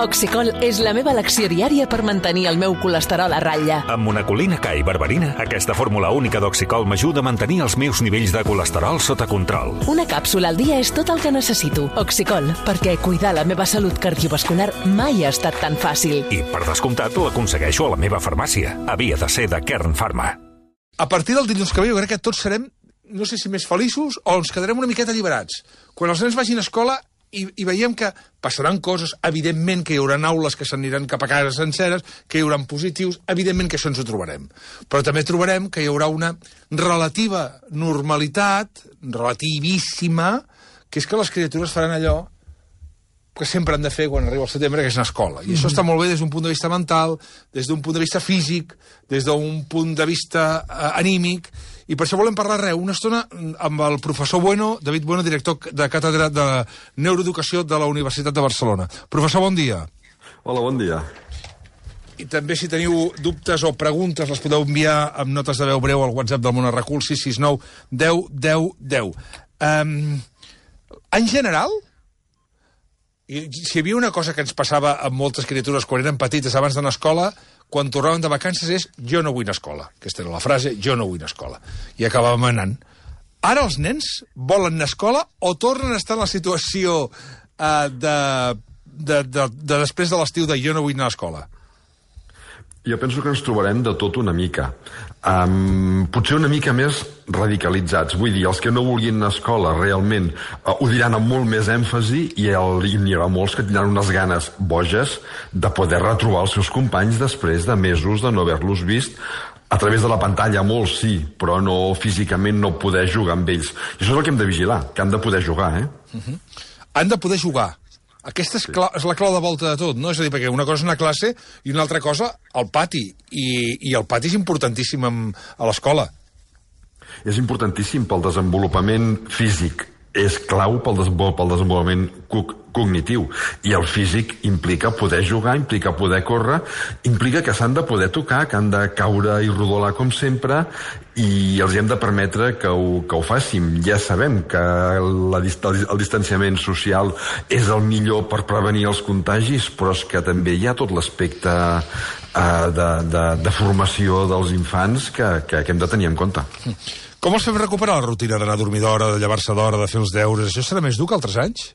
Oxicol és la meva elecció diària per mantenir el meu colesterol a ratlla. Amb monacolina K i berberina, aquesta fórmula única d'Oxicol m'ajuda a mantenir els meus nivells de colesterol sota control. Una càpsula al dia és tot el que necessito. Oxicol, perquè cuidar la meva salut cardiovascular mai ha estat tan fàcil. I, per descomptat, l'aconsegueixo a la meva farmàcia. Havia de ser de Kern Pharma. A partir del dilluns que ve jo crec que tots serem, no sé si més feliços o ens quedarem una miqueta alliberats. Quan els nens vagin a escola i veiem que passaran coses, evidentment que hi haurà aules que s'aniran cap a casa senceres, que hi haurà positius, evidentment que això ens ho trobarem. Però també trobarem que hi haurà una relativa normalitat, relativíssima, que és que les criatures faran allò que sempre han de fer quan arriba el setembre, que és anar a escola. I això està molt bé des d'un punt de vista mental, des d'un punt de vista físic, des d'un punt de vista anímic, i per això volem parlar una estona amb el professor Bueno, David Bueno, director de càtedra de Neuroeducació de la Universitat de Barcelona. Professor, bon dia. Hola, bon dia. I també, si teniu dubtes o preguntes, les podeu enviar amb notes de veu breu al WhatsApp del Món Arracul, 669 10 10 10. En general, si hi havia una cosa que ens passava amb moltes criatures quan eren petites abans d'anar a escola, quan tornaven de vacances és jo no vull anar a escola. Aquesta era la frase, jo no vull anar a escola. I acabàvem anant. Ara els nens volen anar a escola o tornen a estar en la situació de després de l'estiu de jo no vull anar a escola? Jo penso que ens trobarem de tot una mica. Potser una mica més radicalitzats. Vull dir, els que no vulguin anar a escola realment ho diran amb molt més èmfasi i n'hi haurà molts que tindran unes ganes boges de poder retrobar els seus companys després de mesos de no haver-los vist a través de la pantalla, molts sí, però no físicament no poder jugar amb ells. I això és el que hem de vigilar, que han de poder jugar, Han de poder jugar. Aquesta és la clau de volta de tot, no? És a dir, perquè una cosa és una classe i una altra cosa al pati. I el pati és importantíssim a l'escola. És importantíssim pel desenvolupament físic. És clau pel desenvolupament cognitiu. I el físic implica poder jugar, implica poder córrer, implica que s'han de poder tocar, que han de caure i rodolar com sempre, i els hem de permetre que ho facin. Ja sabem que el distanciament social és el millor per prevenir els contagis, però és que també hi ha tot l'aspecte de formació dels infants que hem de tenir en compte. Com els fem recuperar la rutina d'anar a dormir d'hora, de llevar-se d'hora, de fer els deures? Això serà més dur que altres anys?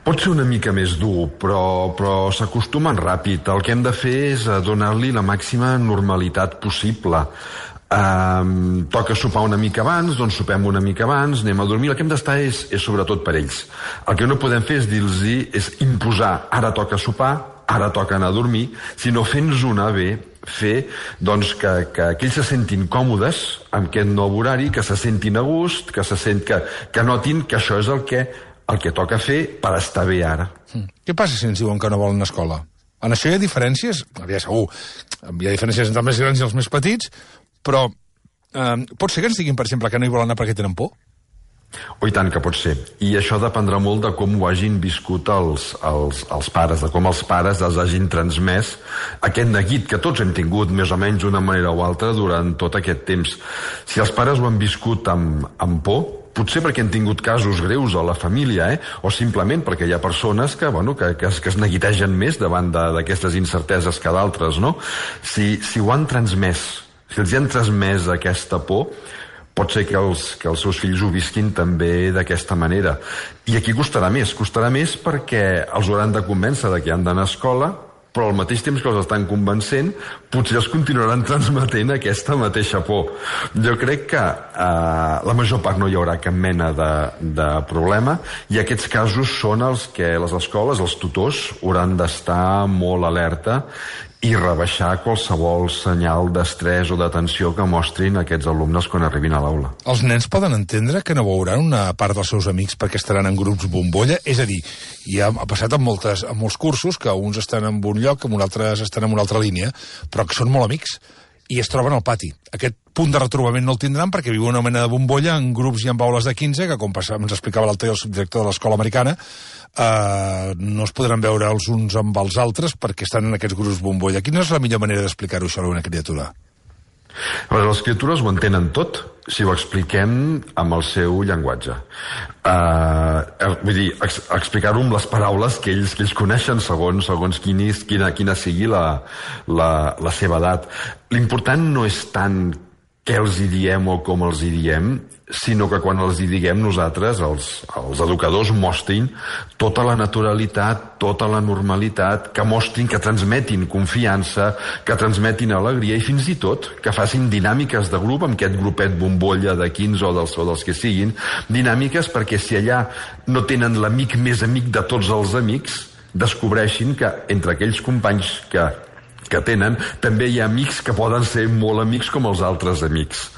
Pot ser una mica més dur, però s'acostumen ràpid. El que hem de fer és donar-li la màxima normalitat possible. Toca sopar una mica abans, doncs sopem una mica abans, anem a dormir. El que hem d'estar és sobretot per ells. El que no podem fer és dir-los, és imposar, ara toca sopar, ara toca anar a dormir, sinó fent-nos anar bé, fer doncs, que ells se sentin còmodes amb aquest nou horari, que se sentin a gust, que notin que això és el que toca fer per estar bé ara. Què passa si ens diuen que no volen anar a escola? En això hi ha diferències? Segur, hi ha diferències entre els més grans i els més petits, però pot ser que ens diguin, per exemple, que no hi volen anar perquè tenen por? I tant que pot ser. I això dependrà molt de com ho hagin viscut els pares, de com els pares els hagin transmès aquest neguit que tots hem tingut més o menys d'una manera o altra durant tot aquest temps. Si els pares ho han viscut amb por, potser perquè han tingut casos greus a la família, o simplement perquè hi ha persones que es neguitegen més davant d'aquestes incerteses que d'altres, no? Si ho han transmès, si els han transmès aquesta por, pot ser que els seus fills ho visquin també d'aquesta manera. I aquí costarà més perquè els hauran de convèncer de que han d'anar a escola, però al mateix temps que els estan convencent, potser els continuaran transmetent aquesta mateixa por. Jo crec que la major part no hi haurà cap mena de problema, i aquests casos són els que les escoles, els tutors, hauran d'estar molt alerta i rebaixar qualsevol senyal d'estrès o de tensió que mostrin aquests alumnes quan arribin a l'aula. Els nens poden entendre que no veuran una part dels seus amics perquè estaran en grups bombolla? És a dir, ja ha passat en molts cursos que uns estan en un lloc, uns altres estan en una altra línia, però que són molt amics i es troben al pati. Aquest punt de retrobament no el tindran perquè viuen una mena de bombolla en grups i en aules de 15, que com ens explicava l'altre el subdirector de l'escola americana, no es podran veure els uns amb els altres perquè estan en aquests grups bombolla. Quina és la millor manera d'explicar-ho això a una criatura? Les criatures ho entenen tot si ho expliquem amb el seu llenguatge. Vull dir, explicar-ho amb les paraules que ells coneixen segons quina sigui la seva edat. L'important no és tant què els hi diem o com els hi diem, sinó que quan els hi diguem nosaltres, els educadors, mostrin tota la naturalitat, tota la normalitat, que mostrin, que transmetin confiança, que transmetin alegria i fins i tot que facin dinàmiques de grup amb aquest grupet bombolla de 15 o dels que siguin, dinàmiques perquè si allà no tenen l'amic més amic de tots els amics, descobreixin que entre aquells companys que tenen, també hi ha amics que poden ser molt amics com els altres amics.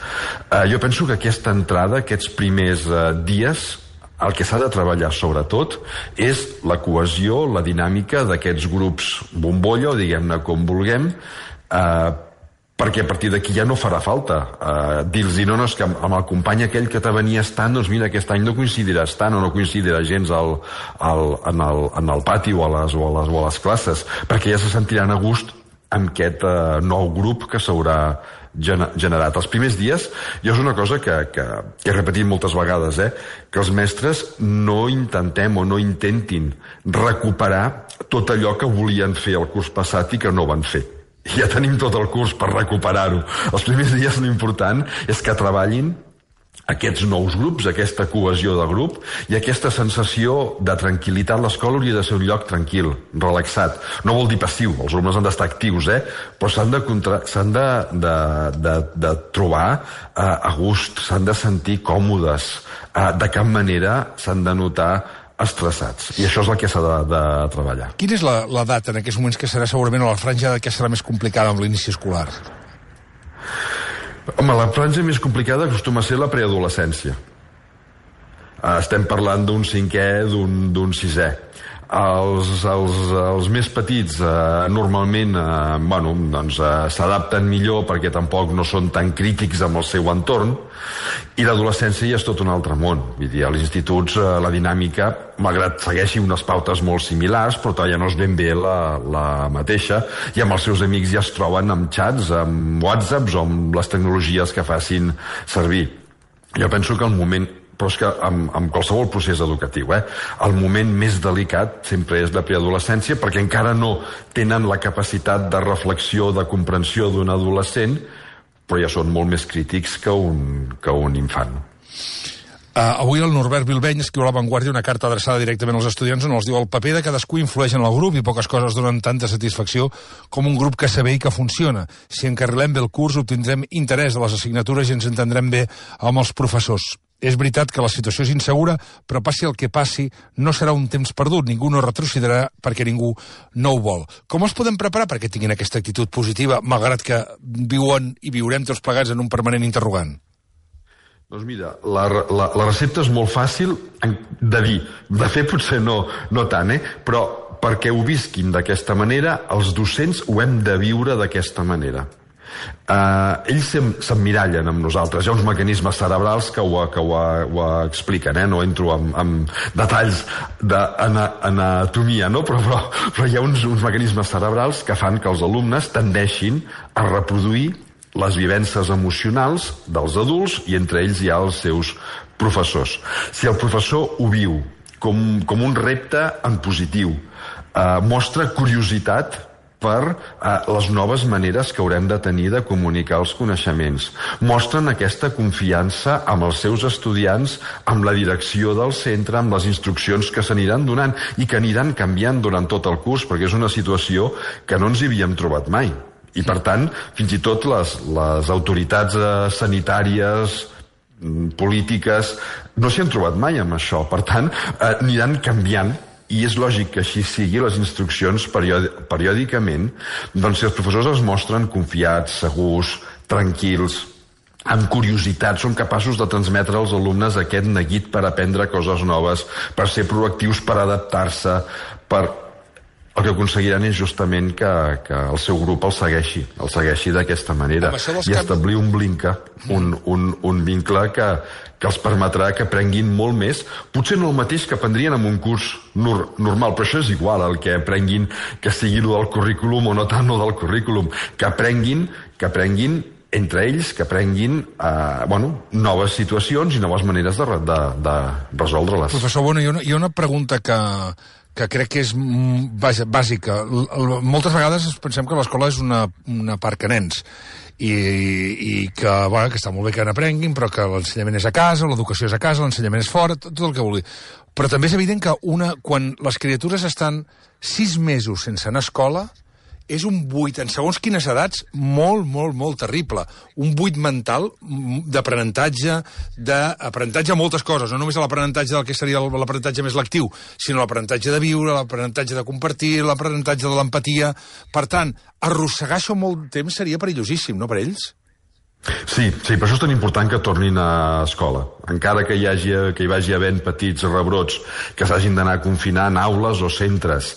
Jo penso que aquesta entrada, aquests primers dies, el que s'ha de treballar sobretot és la cohesió, la dinàmica d'aquests grups bombolla, o diguem-ne com vulguem, perquè a partir d'aquí ja no farà falta dir-los, no, és que amb el company aquell que te venies tant, doncs mira, aquest any no coincidiràs tant o no coincidirà gens en el pati o a les classes, perquè ja se sentiran a gust amb aquest nou grup que s'haurà generat. Els primers dies, jo és una cosa que he repetit moltes vegades, que els mestres no intentem o no intentin recuperar tot allò que volien fer el curs passat i que no van fer. Ja tenim tot el curs per recuperar-ho. Els primers dies l'important és que treballin aquests nous grups, aquesta cohesió de grup i aquesta sensació de tranquil·litat. L'escola hauria de ser un lloc tranquil, relaxat. No vol dir passiu, els alumnes han d'estar actius, però s'han de trobar a gust, s'han de sentir còmodes, de cap manera s'han de notar estressats. I això és el que s'ha de treballar. Quina és l'edat en aquests moments que serà segurament a la franja que serà més complicada amb l'inici escolar? Home, la franja més complicada acostuma a ser la preadolescència. Estem parlant d'un 5è, d'un 6è. Els més petits normalment s'adapten millor perquè tampoc no són tan crítics amb el seu entorn, i l'adolescència ja és tot un altre món. Vull dir, als instituts la dinàmica, malgrat segueixi unes pautes molt similars, però ja no és ben bé la mateixa, i amb els seus amics ja es troben amb xats, amb whatsapps o amb les tecnologies que facin servir. Jo penso que el moment, però és que amb qualsevol procés educatiu, el moment més delicat sempre és la preadolescència, perquè encara no tenen la capacitat de reflexió, de comprensió d'un adolescent, però ja són molt més crítics que un infant. Avui el Norbert Bilbeny escriu a La Vanguardia una carta adreçada directament als estudiants on els diu: el paper de cadascú influeix en el grup i poques coses donen tanta satisfacció com un grup que sé bé i que funciona. Si encarrilem bé el curs, obtindrem interès a les assignatures i ens entendrem bé amb els professors. És veritat que la situació és insegura, però passi el que passi, no serà un temps perdut. Ningú no retrocederà perquè ningú no ho vol. Com els podem preparar perquè tinguin aquesta actitud positiva, malgrat que viuen i viurem tots plegats en un permanent interrogant? Doncs mira, la recepta és molt fàcil de dir. De fer potser no tant, però perquè ho visquin d'aquesta manera, els docents ho hem de viure d'aquesta manera. Ells s'emmirallen amb nosaltres. Hi ha uns mecanismes cerebrals que ho expliquen, no entro en detalls d'anatomia, però hi ha uns mecanismes cerebrals que fan que els alumnes tendeixin a reproduir les vivències emocionals dels adults i entre ells hi ha els seus professors. Si el professor ho viu com un repte en positiu, mostra curiositat per les noves maneres que haurem de tenir de comunicar els coneixements. Mostren aquesta confiança amb els seus estudiants, amb la direcció del centre, amb les instruccions que s'aniran donant i que aniran canviant durant tot el curs, perquè és una situació que no ens hi havíem trobat mai. I, per tant, fins i tot les autoritats sanitàries, polítiques, no s'hi han trobat mai amb això. Per tant, aniran canviant, i és lògic que així sigui. Les instruccions periòdicament, doncs si els professors es mostren confiats, segurs, tranquils, amb curiositat, són capaços de transmetre als alumnes aquest neguit per aprendre coses noves, per ser proactius, per adaptar-se, el que aconseguiran és justament que el seu grup el segueixi d'aquesta manera i establir un vincle que els permetrà que aprenguin molt més, potser no el mateix que aprendrien en un curs normal, però això és igual, el que aprenguin, que sigui el del currículum o no tant el del currículum, que aprenguin entre ells que aprenguin noves situacions i noves maneres de resoldre-les. Professor Bueno, hi ha una pregunta que crec que és bàsica. Moltes vegades pensem que l'escola és una parc a nens i que està molt bé que n'aprenguin, però que l'ensenyament és a casa, l'educació és a casa, l'ensenyament és fora, tot el que vulgui. Però també és evident que quan les criatures estan 6 mesos sense anar a escola, és un buit, en segons quines edats, molt, molt, molt terrible. Un buit mental d'aprenentatge a moltes coses, no només l'aprenentatge del que seria l'aprenentatge més lectiu, sinó l'aprenentatge de viure, l'aprenentatge de compartir, l'aprenentatge de l'empatia. Per tant, arrossegar això molt temps seria perillosíssim, no, per ells? Sí, per això és tan important que tornin a escola. Encara que hi vagi havent petits rebrots que s'hagin d'anar a confinar en aules o centres,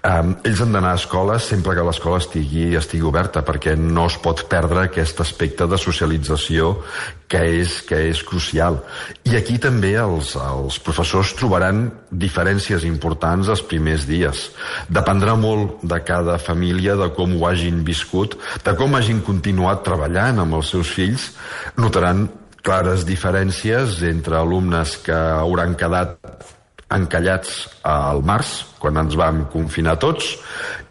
ells han d'anar a escola sempre que l'escola estigui oberta, perquè no es pot perdre aquest aspecte de socialització que és crucial. I aquí també els professors trobaran diferències importants els primers dies. Dependrà molt de cada família, de com ho hagin viscut, de com hagin continuat treballant amb els seus fills. Notaran clares diferències entre alumnes que hauran quedat encallats al març, quan ens vam confinar tots,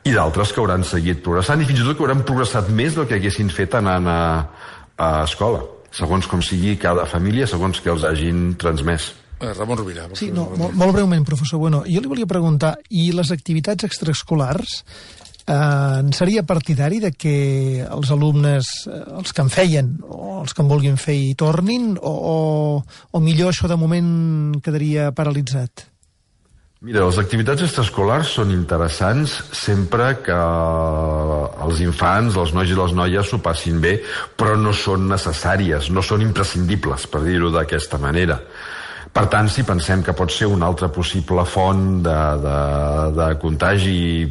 i d'altres que hauran seguit progressant, i fins i tot que hauran progressat més del que haguessin fet anant a escola, segons com sigui cada família, segons que els hagin transmès. Ramon Rovira. Sí, molt breument, professor Bueno. Jo li volia preguntar, i les activitats extraescolars, seria partidari de que els alumnes, els que en feien, o els que en vulguin fer, hi tornin, o millor això de moment quedaria paralitzat? Mira, les activitats extraescolars són interessants sempre que els infants, els nois i les noies s'ho passin bé, però no són necessàries, no són imprescindibles, per dir-ho d'aquesta manera. Per tant, si pensem que pot ser una altra possible font de contagi i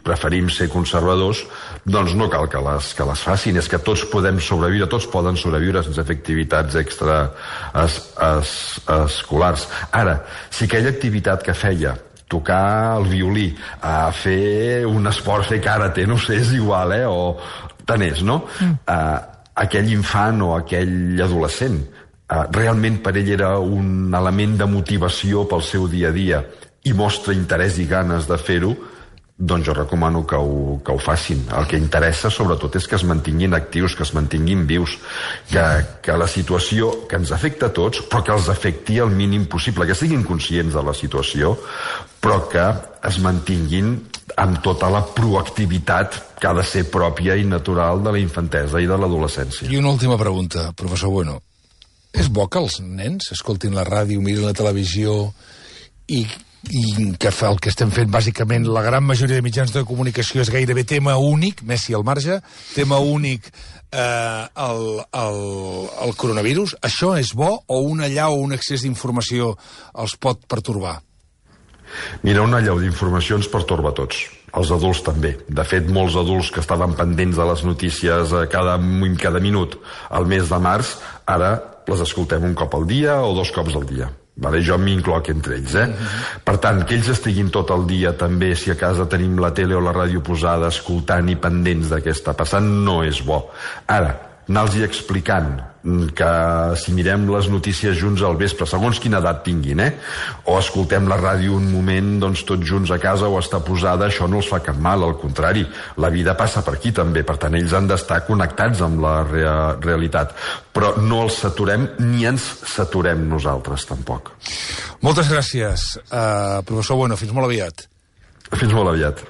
preferim ser conservadors, doncs no cal que les facin. És que tots podem sobreviure, tots poden sobreviure sense fer activitats escolars. Ara, si aquella activitat que feia, tocar el violí, fer un esport, fer karate, no sé, és igual, o tant és, no? Aquell infant o aquell adolescent realment per ell era un element de motivació pel seu dia a dia i mostra interès i ganes de fer-ho, doncs jo recomano que ho facin. El que interessa sobretot és que es mantinguin actius, que es mantinguin vius, que la situació que ens afecta a tots, però que els afecti el mínim possible, que siguin conscients de la situació, però que es mantinguin amb tota la proactivitat que ha de ser pròpia i natural de la infantesa i de l'adolescència. I una última pregunta, professor Bueno. És bo que els nens escoltin la ràdio, mirin la televisió i que el que estem fent, bàsicament, la gran majoria de mitjans de comunicació és gairebé tema únic, Messi al marge, tema únic el coronavirus. Això és bo o un allau o un excés d'informació els pot pertorbar? Mira, un allau d'informació ens pertorba a tots. Els adults també. De fet, molts adults que estaven pendents de les notícies cada minut al mes de març, ara les escoltem un cop al dia o 2 cops al dia. Jo m'incloc entre ells. Per tant, que ells estiguin tot el dia també, si a casa tenim la tele o la ràdio posada, escoltant i pendents de què està passant, no és bo. Ara, anar-los explicant que si mirem les notícies junts al vespre, segons quina edat tinguin, o escoltem la ràdio un moment, doncs tots junts a casa o està posada, això no els fa cap mal, al contrari, la vida passa per aquí també, per tant ells han d'estar connectats amb la realitat, però no els saturem ni ens saturem nosaltres tampoc. Moltes gràcies, professor Bueno, fins molt aviat. Fins molt aviat.